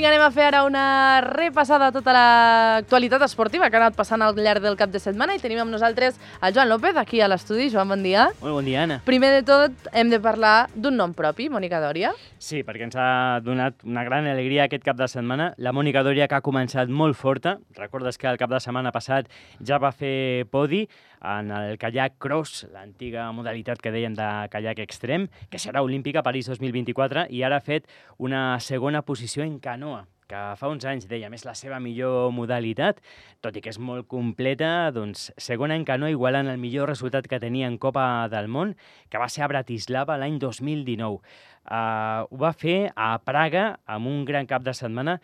vinga, anem a fer ara una repassada de tota l'actualitat esportiva que ha anat passant al llarg del cap de setmana i tenim amb nosaltres el Joan López aquí a l'estudi. Joan, bon dia. Molt bon dia, Anna. Primer de tot, hem de parlar d'un nom propi, Mònica Dòria. Sí, perquè ens ha donat una gran alegria aquest cap de setmana. La Mònica Dòria, que ha començat molt forta. Recordes que el cap de setmana passat ja va fer podi en el kayak cross, l'antiga modalitat que dèiem de kayak extrem, que serà olímpica a París 2024, i ara ha fet una segona posició en canoa, que fa uns anys dèiem és la seva millor modalitat, tot i que és molt completa, doncs segona en canoa igualant el millor resultat que tenia en Copa del Món, que va ser a Bratislava l'any 2019. Ho va fer a Praga amb un gran cap de setmana.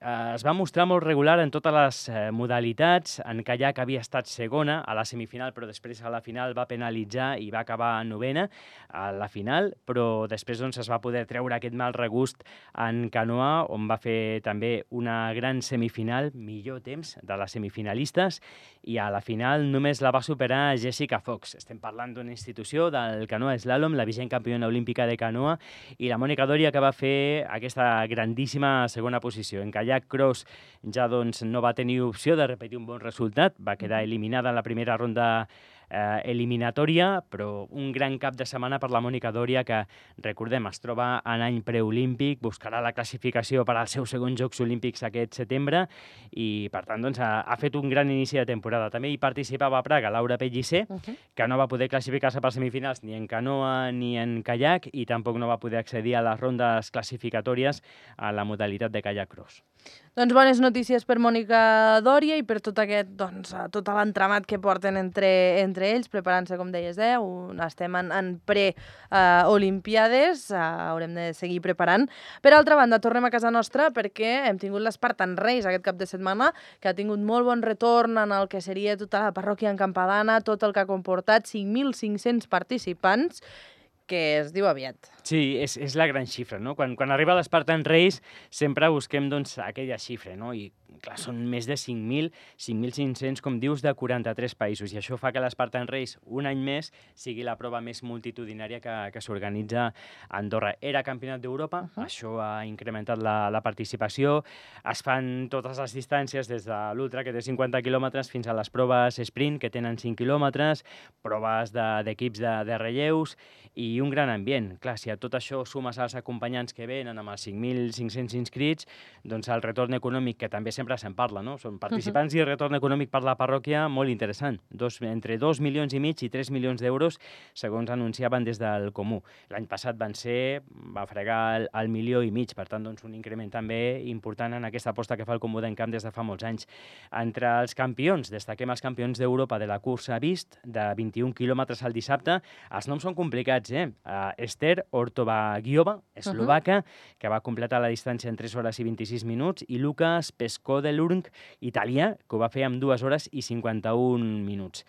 Es va mostrar molt regular en totes les modalitats. En kayak havia estat segona a la semifinal, però després a la final va penalitzar i va acabar novena a la final, però després doncs, es va poder treure aquest mal regust en canoa, on va fer també una gran semifinal, millor temps de les semifinalistes, i a la final només la va superar Jessica Fox. Estem parlant d'una institució del canoa slalom, la vigent campiona olímpica de canoa, i la Mònica Dòria, que va fer aquesta grandíssima segona posició. En kayak cross ja doncs, no va tenir opció de repetir un bon resultat, va quedar eliminada en la primera ronda eliminatòria, però un gran cap de setmana per la Mònica Dòria, que, recordem, es troba en any preolímpic, buscarà la classificació per als seus segons Jocs Olímpics aquest setembre i, per tant, doncs, ha fet un gran inici de temporada. També hi participava a Praga Laura Pellicer, que no va poder classificar-se per semifinals ni en canoa ni en kayak i tampoc no va poder accedir a les rondes classificatòries a la modalitat de kayak cross. Doncs bones notícies per Mònica Dòria i per tot aquest, doncs, tot l'entramat que porten entre ells, preparant-se, com deies, estem en pre-olimpiades, haurem de seguir preparant. Per altra banda, tornem a casa nostra perquè hem tingut l'Spartan Race aquest cap de setmana, que ha tingut molt bon retorn en el que seria tota la parròquia encampadana, tot el que ha comportat 5.500 participants, que es diu aviat. Sí, és la gran xifra, no? Quan arriba l'Spartan Race sempre busquem doncs, aquella xifra, no? I clar, són més de 5.000, 5.500, com dius, de 43 països, i això fa que l'Spartan Race un any més sigui la prova més multitudinària que s'organitza a Andorra. Era campionat d'Europa, això ha incrementat la participació, es fan totes les distàncies des de l'ultra, que té 50 quilòmetres, fins a les proves sprint, que tenen 5 quilòmetres, proves d'equips de relleus, i un gran ambient. Clar, si a tot això sumes els acompanyants que venen amb els 5.500 inscrits, doncs el retorn econòmic, que també sempre se'n parla, no? Són participants i retorn econòmic per la parròquia molt interessant. Entre 2,5 milions i 3 milions d'euros, segons anunciaven des del Comú. L'any passat va fregar el 1,5 milió, per tant, doncs, un increment també important en aquesta aposta que fa el Comú d'Encamp des de fa molts anys. Entre els campions, destaquem els campions d'Europa de la cursa Vist, de 21 quilòmetres al dissabte. Els noms són complicats, Ester Ortobagiova, eslovaca, que va completar la distància en 3 hores i 26 minuts, i Lukas Peskodelurng, italià, que ho va fer en 2 hores i 51 minuts.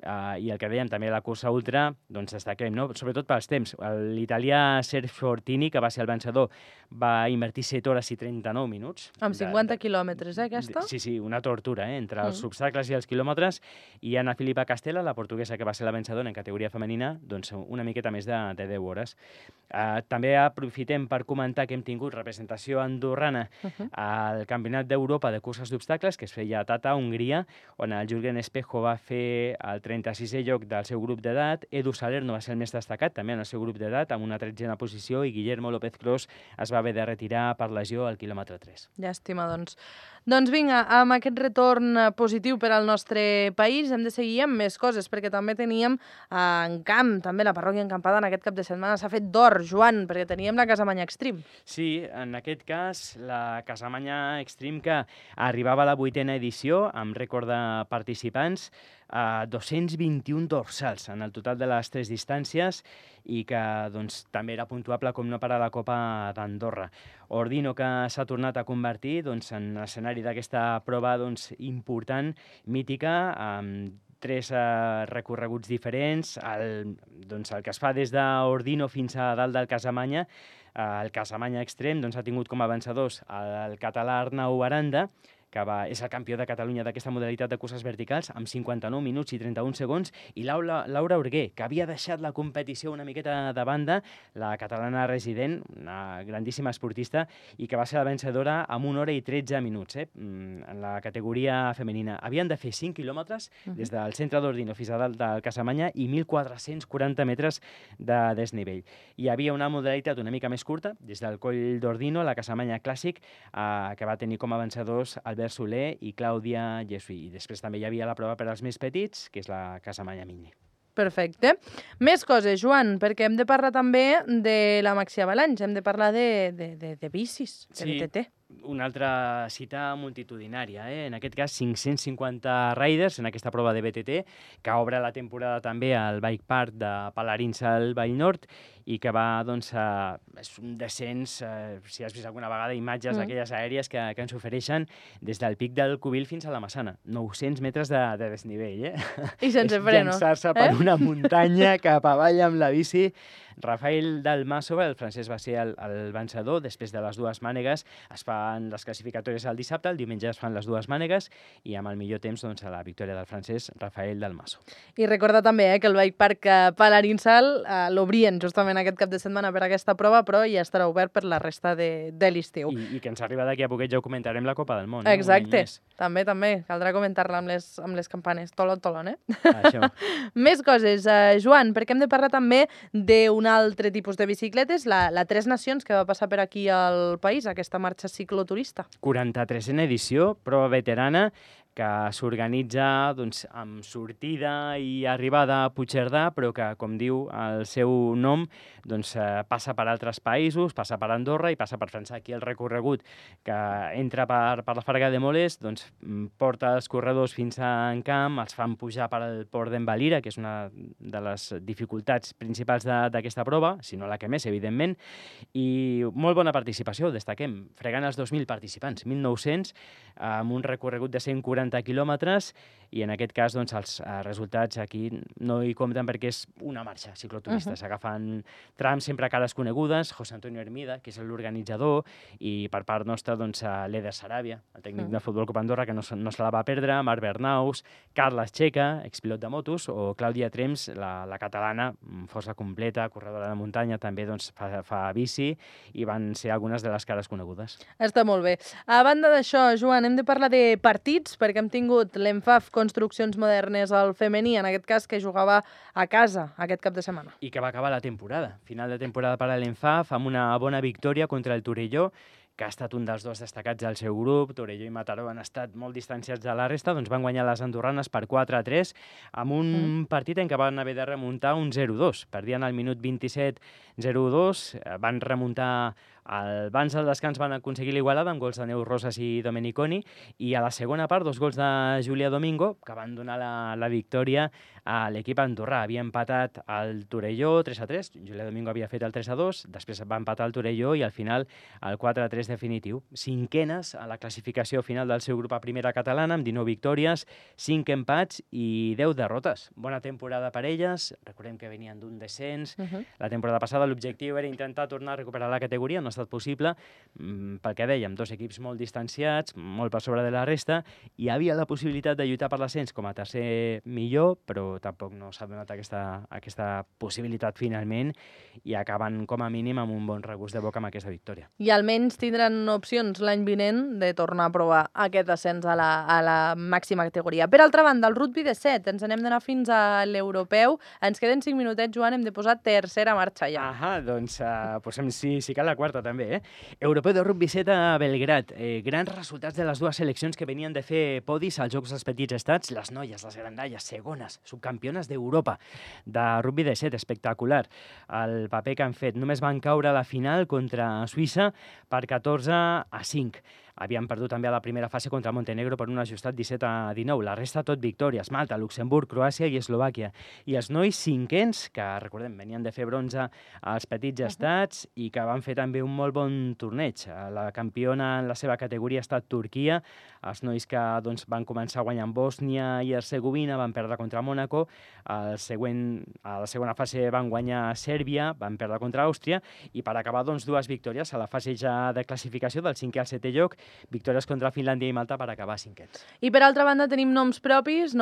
I el que dèiem també, la cursa ultra, doncs destaquem, no? Sobretot pels temps. L'italià Sergio Fortini, que va ser el vencedor, va invertir 7 hores i 39 minuts. Amb 50 quilòmetres, aquesta? Sí, una tortura, entre els obstacles i els quilòmetres. I Ana Filipa Castella, la portuguesa, que va ser la vencedora en categoria femenina, doncs una miqueta més de 10 hores. També aprofitem per comentar que hem tingut representació andorrana al Campionat d'Europa de curses d'obstacles, que es feia a Tata, Hongria, on el Jürgen Espejo va fer el 36è lloc del seu grup d'edat, Edu Salerno va ser el més destacat també en el seu grup d'edat, amb una 13a posició, i Guillermo López Cros es va haver de retirar per lesió al quilòmetre 3. Llàstima, doncs. Doncs vinga, amb aquest retorn positiu per al nostre país hem de seguir amb més coses, perquè també teníem en camp, també la parròquia encampada en aquest cap de setmana s'ha fet d'or, Joan, perquè teníem la Casamanya Extreme. Sí, en aquest cas, la Casamanya Extreme, que arribava a la 8a edició, amb rècord de participants, 221 dorsals en el total de les 3 distàncies, i que doncs, també era puntuable com no per a la Copa d'Andorra. Ordino, que s'ha tornat a convertir doncs, en escenari d'aquesta prova important, mítica, amb 3 recorreguts diferents, el que es fa des d'Ordino fins a dalt del Casamanya. El Casamanya Extrem ha tingut com a vencedors el català Arnau Aranda, és el campió de Catalunya d'aquesta modalitat de curses verticals, amb 59 minuts i 31 segons, i Laura Urguer, que havia deixat la competició una miqueta de banda, la catalana resident, una grandíssima esportista, i que va ser la vencedora amb 1 hora i 13 minuts, en la categoria femenina. Havien de fer 5 quilòmetres des del centre d'Ordino fins a dalt del Casamanya i 1.440 metres de desnivell. Hi havia una modalitat una mica més curta, des del coll d'Ordino, la Casamanya Clàssic, que va tenir com a vencedors Albert Soler i Clàudia Llesui. I després també hi havia la prova per als més petits, que és la Casamanya Mini. Perfecte. Més coses, Joan, perquè hem de parlar també de la Maxi Avalanche, hem de parlar de bicis, de BTT. Una altra cita multitudinària, en aquest cas 550 riders en aquesta prova de BTT, que obre la temporada també al Bike Park de Palarins al Vall Nord i que va, doncs, és un descens, si has vist alguna vegada imatges d'aquelles aèries que ens ofereixen des del pic del Cubil fins a la Massana. 900 metres de desnivell, I sense frenos. És llançar-se per una muntanya cap avall amb la bici. Rafael Dalmaso, el francès, va ser el vencedor. Després de les dues mànegues es fan les classificatòries el dissabte, el diumenge es fan les dues mànegues i amb el millor temps, doncs, a la victòria del francès Rafael Dalmaso. I recorda també que el Bike Park Palarinsal l'obrien justament aquest cap de setmana per aquesta prova, però ja estarà obert per la resta de l'estiu. I que ens arriba d'aquí a poquet, ja ho comentarem, la Copa del Món. Exacte, també, caldrà comentar-la amb les campanes. Tolon, Això. Més coses, Joan, perquè hem de parlar també d'un altre tipus de bicicletes, la Tres Nacions, que va passar per aquí al país, aquesta marxa cicloturista. 43a edició, prova veterana, que s'organitza, doncs, amb sortida i arribada a Puigcerdà, però que, com diu el seu nom, doncs, passa per altres països, passa per Andorra i passa per França. Aquí el recorregut que entra per la Farga de Moles, doncs, porta els corredors fins a Encamp, els fan pujar per al port d'Envalira, que és una de les dificultats principals d'aquesta prova, si no la que més, evidentment, i molt bona participació, destaquem, fregant els 2.000 participants, 1.900, amb un recorregut de 140 quilòmetres, i en aquest cas, doncs, els resultats aquí no hi compten perquè és una marxa cicloturista. S'agafen trams sempre a cares conegudes, José Antonio Hermida, que és l'organitzador, i per part nostra, doncs, l'Eder Saràbia, el tècnic de Futbol Club Andorra, que no se la va perdre, Marc Bernaus, Carles Checa, expilot de motos, o Clàudia Trems, la catalana, força completa, corredora de muntanya, també, doncs, fa bici, i van ser algunes de les cares conegudes. Està molt bé. A banda d'això, Joan, hem de parlar de partits, perquè hem tingut l'ENFAF Construccions Modernes al femení, en aquest cas, que jugava a casa aquest cap de setmana. I que va acabar la temporada. Final de temporada per a l'ENFAF, amb una bona victòria contra el Torelló, que ha estat un dels dos destacats del seu grup. Torelló i Mataró han estat molt distanciats de la resta, doncs van guanyar les andorranes per 4-3, amb un partit en què van haver de remuntar un 0-2. Perdien al minut 27 0-2, van remuntar abans del descans, van aconseguir l'igualada amb gols de Neus Rosas i Domeniconi, i a la segona part 2 gols de Júlia Domingo, que van donar la victòria a l'equip andorrà. Havia empatat el Torelló 3-3, Júlia Domingo havia fet el 3-2, després va empatar el Torelló i al final el 4-3 definitiu. 5enes a la classificació final del seu grup a primera catalana, amb 19 victòries, 5 empats i 10 derrotes. Bona temporada per elles, recordem que venien d'un descens. La temporada passada l'objectiu era intentar tornar a recuperar la categoria, no ha estat possible, pel que dèiem, dos equips molt distanciats, molt per sobre de la resta, i hi havia la possibilitat de lluitar per l'ascens com a tercer millor, però tampoc no s'ha donat aquesta possibilitat finalment, i acaben com a mínim amb un bon regust de boca amb aquesta victòria. I almenys tindran opcions l'any vinent de tornar a provar aquest ascens a la màxima categoria. Per altra banda, el rugby de 7, ens n'hem d'anar fins a l'europeu. Ens queden 5 minutets, Joan, hem de posar tercera marxa ja. Doncs posem, si cal, la quarta també. Europeu de rugby 7 a Belgrat. Grans resultats de les dues seleccions que venien de fer podis als Jocs dels Petits Estats. Les noies, les grandalles, segones, subcampiones d'Europa de rugby de 7, espectacular. El paper que han fet. Només van caure a la final contra Suïssa per 14-5. Havien perdut també a la primera fase contra Montenegro per un ajustat 17-19. La resta tot victòries. Malta, Luxemburg, Croàcia i Eslovàquia. I els nois cinquens, que recordem, venien de fer bronze als Petits Estats i que van fer també un molt bon torneig. La campiona en la seva categoria ha estat Turquia. Els nois que van començar guanyant Bòsnia i Hercegovina van perdre contra Mònaco. A la segona fase van guanyar Sèrbia, van perdre contra Àustria, i per acabar dues victòries a la fase ja de classificació del 5è al 7è lloc, victòries contra Finlàndia i Malta per acabar cinquets. I per altra banda tenim noms propis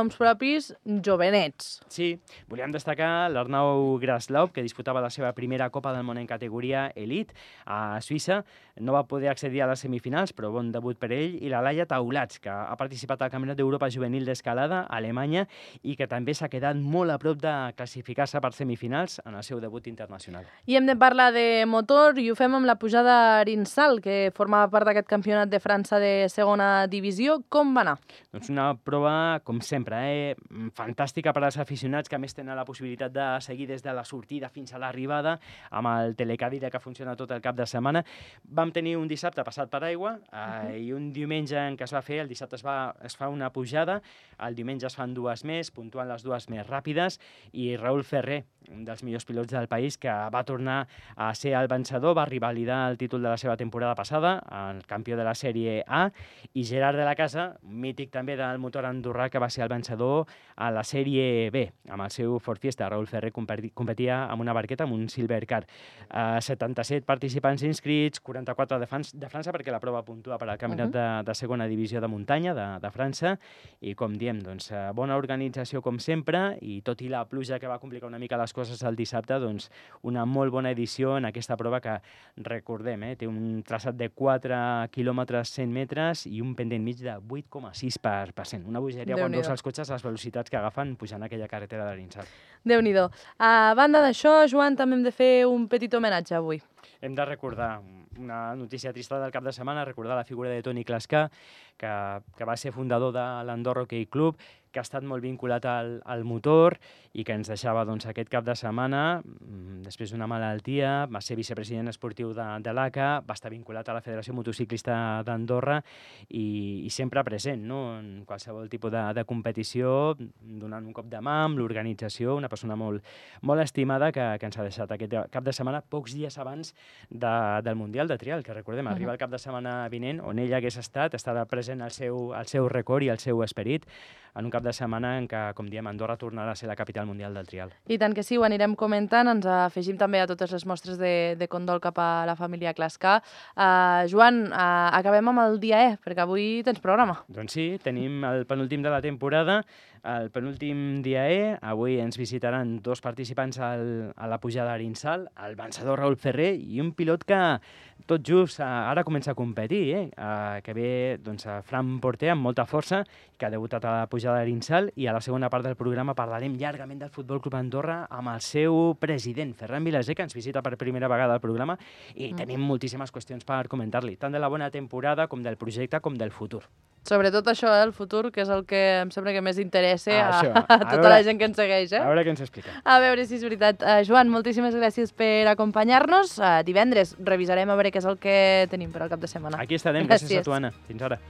jovenets. Sí, volíem destacar l'Arnau Graslov, que disputava la seva primera Copa del Món en categoria Elite a Suïssa. No va poder accedir a les semifinals, però bon debut per ell. I la Laia Taulats, que ha participat al Campionat d'Europa Juvenil d'Escalada a Alemanya i que també s'ha quedat molt a prop de classificar-se per semifinals en el seu debut internacional. I hem de parlar de motor i ho fem amb la pujada a Arinsal, que formava part d'aquest campionat de França de segona divisió. Com va anar? Doncs una prova, com sempre, fantàstica per als aficionats, que a més tenen la possibilitat de seguir des de la sortida fins a l'arribada amb el telecàdide que funciona tot el cap de setmana. Vam tenir un dissabte passat per aigua i un diumenge en què es va fer, el dissabte es fa una pujada, el diumenge es fan dues més, puntuant les dues més ràpides, i Raül Ferrer, un dels millors pilots del país, que va tornar a ser el vencedor, va revalidar el títol de la seva temporada passada, el campió de la Sèrie A, i Gerard de la Casa, mític també del motor andorrà, que va ser el vencedor a la Sèrie B, amb el seu Ford Fiesta. Raül Ferrer competia amb una barqueta, amb un Silvercar. 77 participants inscrits, 44 de França, perquè la prova puntua per al campionat de segona divisió de muntanya de França, i com diem, doncs, bona organització com sempre, i tot i la pluja que va complicar una mica les coses el dissabte, doncs una molt bona edició en aquesta prova que, recordem, té un traçat de 4 quilòmetres 100 metres i un pendent mig de 8,6%. Una bogeria quan veus els cotxes, les velocitats que agafen pujant aquella carretera d'Arinsal. Déu-n'hi-do. A banda d'això, Joan, també hem de fer un petit homenatge avui. Hem de recordar una notícia trista del cap de setmana, recordar la figura de Toni Clascar, que va ser fundador de l'Andorra Hockey Club, que ha estat molt vinculat al motor i que ens deixava aquest cap de setmana, després d'una malaltia. Va ser vicepresident esportiu de l'ACA, va estar vinculat a la Federació Motociclista d'Andorra i sempre present, no?, en qualsevol tipus de competició, donant un cop de mà amb l'organització, una persona molt estimada que ens ha deixat aquest cap de setmana, pocs dies abans del Mundial de Trial, que recordem, arriba el cap de setmana vinent, on ell hagués estarà present el seu record i el seu esperit, en un cap de setmana en què, com diem, Andorra tornarà a ser la capital mundial del trial. I tant que sí, ho anirem comentant, ens afegim també a totes les mostres de condol cap a la família Clascar. Joan, acabem amb el dia E, perquè avui tens programa. Doncs sí, tenim el penúltim de la temporada, el penúltim dia E. Avui ens visitaran dos participants a la pujada a Arinsal, el vencedor Raül Ferrer i un pilot que tot just ara comença a competir, que ve Fran Porter amb molta força, que ha debutat a la pujada a Arinsal, i a la segona part del programa parlarem llargament del Futbol Club Andorra amb el seu president, Ferran Vilaser, que ens visita per primera vegada al programa, i tenim moltíssimes qüestions per comentar-li, tant de la bona temporada com del projecte com del futur. Sobretot això, el futur, que és el que em sembla que més interessa a tota la gent que ens segueix. A veure què ens explica. A veure si és veritat. Joan, moltíssimes gràcies per acompanyar-nos. Divendres revisarem a veure què és el que tenim per al cap de setmana. Aquí estarem. Gràcies a tu, Anna. Fins ara.